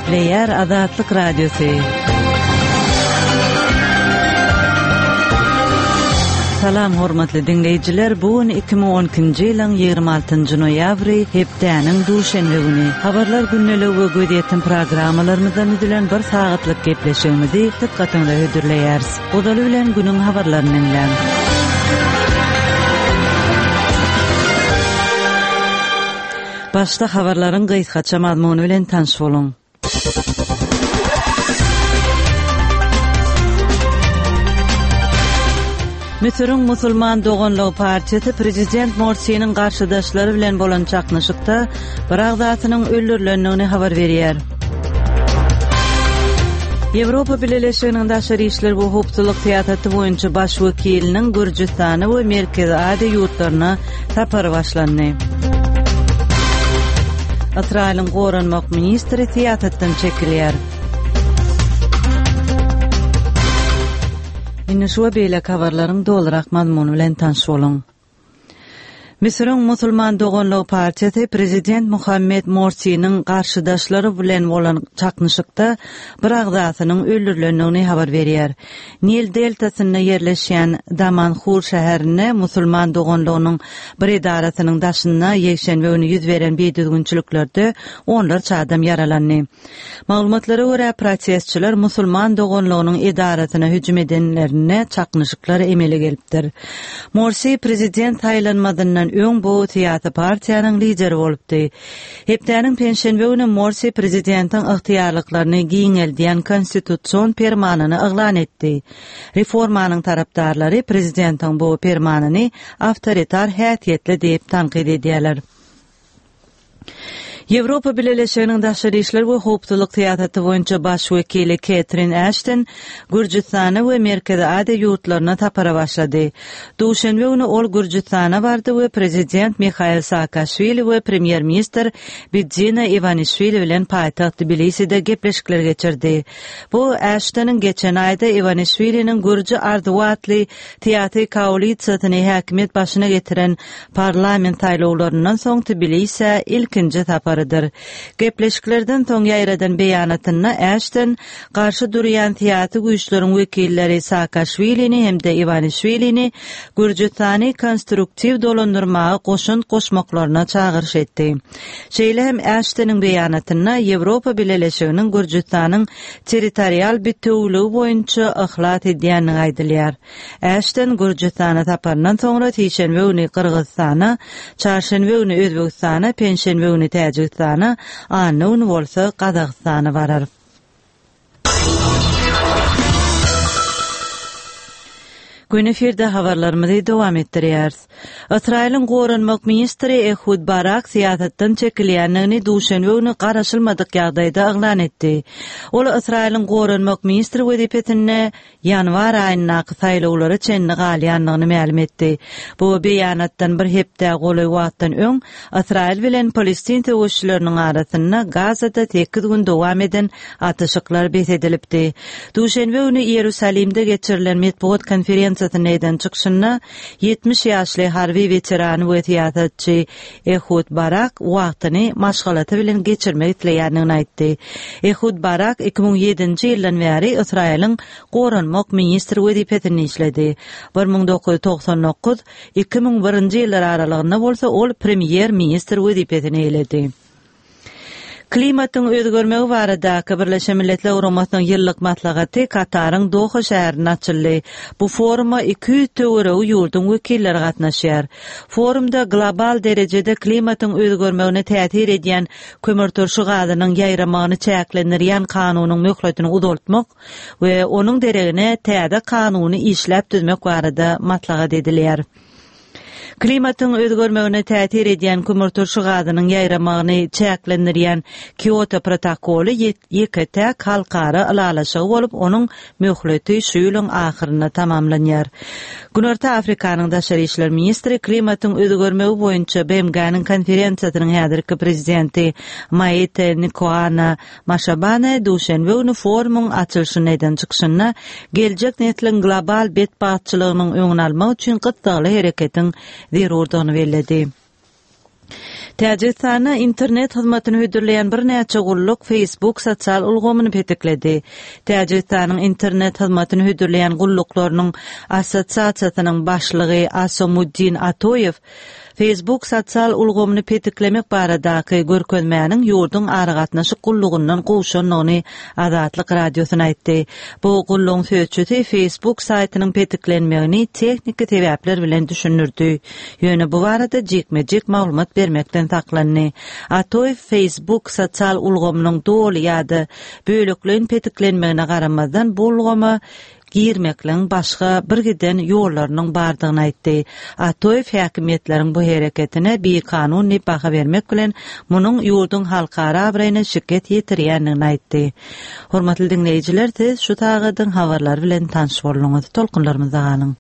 Gepleýär Azatlyk Radiosy. Salam hormatly diňleýjiler, bu gün 2012-nji ýylyň 26-njy noýabry, hepdäniň duşenbe güni. Habarlar gündeligi we gözýetim programmalarymyzdan düzülen bir sagatlyk gepleşigimizi dykgatyňyza hödürleýäris. Ozaly bilen günüň habarlaryny diňläň. Başda habarlaryň gysgaça mazmuny bilen tanyş boluň. Müsüriň Musulman doganlygy partiýasy prezident Morsiniň garşydaşlary bilen bolan çaknyşykda bir agzasynyň öldürilendigini habar berýär. Ýewropa Bileleşiginiň daşary işler we howpsuzlyk syýasaty boýunça baş wekiliniň Gürjüstana we Merkezi Aziýa ýurtlaryna sapary başlandy. Ysraýylyň goranmak ministri syýasatdan çekilýär. Indi şu we beýleki habarlaryň dolurak mazmuny bilen tanyş boluň. Müsüriň Musulman doganlygy partiýasy prezident Muhammed Morsiniň garşydaşlary bilen bolan çaknyşykda bir agzasynyň öldürilendigini habar berýär. Nil deltasynda ýerleşýän Damanhur şäherinde Musulman doganlygynyň bir edarasynyň daşynda ýekşenbe güni ýüz beren bidüzgünçiliklerde onlarça adam ýaralandy. Maglumatlara görä, protestçiler Musulman doganlygynyň edarasyna hüjüm edenlerinde çaknyşyklar emele gelipdir. Morsi prezident saýlanmazyndan öň bu syýasy partiýanyň lideri bolupdy. Hepdäniň penşenbe güni Morsi prezidentiň ygtyýarlyklaryny giňeldýän konstitusion permanyny yglan etdi. Reformanyň tarapdarlary prezidentiň bu permanyny awtoritar häsiýetli diýip tankyt edýärler. Ýewropa Bileleşiginiň daşary işler we howpsuzlyk syýasaty boýunça baş wekili Ketrin Aşton Gürjüstana we Merkezi Aziýa ýurtlaryna sapara başlady. Duşenbe güni ol Gürjüstana bardy we prezident Mihail Saakaşwili we premýer-ministr Bidzina Iwanişwili bilen paýtagt Tbiliside gepleşikler geçirdi. Bu Aştonyň geçen aýda Iwanişwiliniň Gürji arzuwy atly syýasy koalisiýasyny häkimiýet başyna getiren parlament saýlawlaryndan soň Tbilisä ilkinji saparydyr. Gepleşiklerden soň ýaýradan beýanatynda Äşton garşy durýan syýasy güýçleriň wekilleri Saakaşwilini hem-de Iwanişwilini Gürjüstany konstruktiw dolandyrmaga goşant goşmaklaryna çagyryş etdi. Şeýle hem Äştonyň beýanatynda Ýewropa Bileleşiginiň Gürjüstanyň territorial bitewüligi boýunça yhlas edýändigi aýdylýar. Äşton Gürjüstana saparyndan soňra sişenbe güni Gyrgyzystana, çarşenbe güni Özbegistana, penşenbe güni Täjigistana, anna güni bolsa Gazagystana barar. Gün efirde habarlarymyzy dowam etdirýäris. Ysraýylyň goranmak ministri Ehud Barak syýasatdan çekilýändigini duşenbe güni garaşylmadyk ýagdaýda yglan etdi. Ol Ysraýylyň goranmak ministri wezipesinde ýanwar aýyndaky saýlawlara çenli galýandygyny mälim etdi. Bu beýanatdan bir hepdä golaý wagtdan öň Ysraýyl bilen palestin söweşçileriniň arasynda Gazada sekiz gün dowam eden atyşyklar bes edilipdi. Duşenbe güni Iýerusalimde geçirilen metbugat konferensiýasynda eden çykyşynda 70 ýaşly harby weterany we syýasatçy Ehud Barak wagtyny maşgalasy bilen geçirmek isleýändigini aýtdy. Ehud Barak 2007-nji ýyldan bäri Ysraýylyň goranmak ministri wezipesinde işledi. 1999, 2001-nji ýyllar aralygynda bolsa ol premýer-ministr wezipesini eýeledi. Klimatyň özgermegi baradaky Birleşen Milletler Guramasynyň ýyllyk maslahaty Kataryň Doha şäherinde açyldy. Bu foruma 200 töweregi ýurduň wekilleri gatnaşýar. Forumda global derejede klimatyň özgermegine täsir edýän kömürturşy gazynyň ýaýramagyny çäklendirýän kanunyň möhletini uzaltmak we onuň deregine täze kanuny işläp düzmek barada maslahat edilýär. Klimatyň özgermegine täsir edýän kömürturşy gazynyň ýaýramagyny çäklendirýän Kioto protokoly ýeke-täk halkara ylalaşygy bolup, onuň möhleti şu ýylyň ahyrynda tamamlanýar. Günorta Afrikanyň daşary işler ministri klimatyň özgermegi boýunça BMG-niň konferensiýasynyň häzirki prezidenti Maite Nkoana Maşabane duşenbe güni forumyň açylyşynda eden çykyşynda geljek nesliň global betbagtçylygynyň öňüni almak üçin gyssagly hereketiň zerurdygyny belledi. Täjigistanda internet hyzmatyny hödürleýän birnäçe gulluk Facebook sosial ulgamyny petikledi. Täjigistanyň internet hyzmatyny hödürleýän gulluklarynyň assosiasiýasynyň başlygy Asomuddin Atoýew Facebook sosial ulgamyny petiklemek baradaky görkezmäniň ýurduň aragatnaşyk gullugyndan gowşandygyny Azatlyk Radiosyna aýtdy. Bu gullugyň sözçüsi Facebook saýtynyň petiklenmegini tehniki sebäpler bilen düşündirdi. Ýöne bu barada jikme-jik maglumat bermekden saklandy. Atoýew Facebook sosial ulgamynyň doly ýa-da bölekleýin petiklenmegine garamazdan bu ulgama girmekligiň başga birgiden ýollarynyň bardygyny aýtdy. Atoýew häkimiýetleriň bu hereketine bikanun diýip baha bermek bilen, munuň ýurduň halkara abraýyna şikes ýetirýändigini aýtdy. Hormatly diňleýjiler, siz şu sagadyň habarlary bilen tanyş bolduňyz. Tolkunlarymyzda galyň!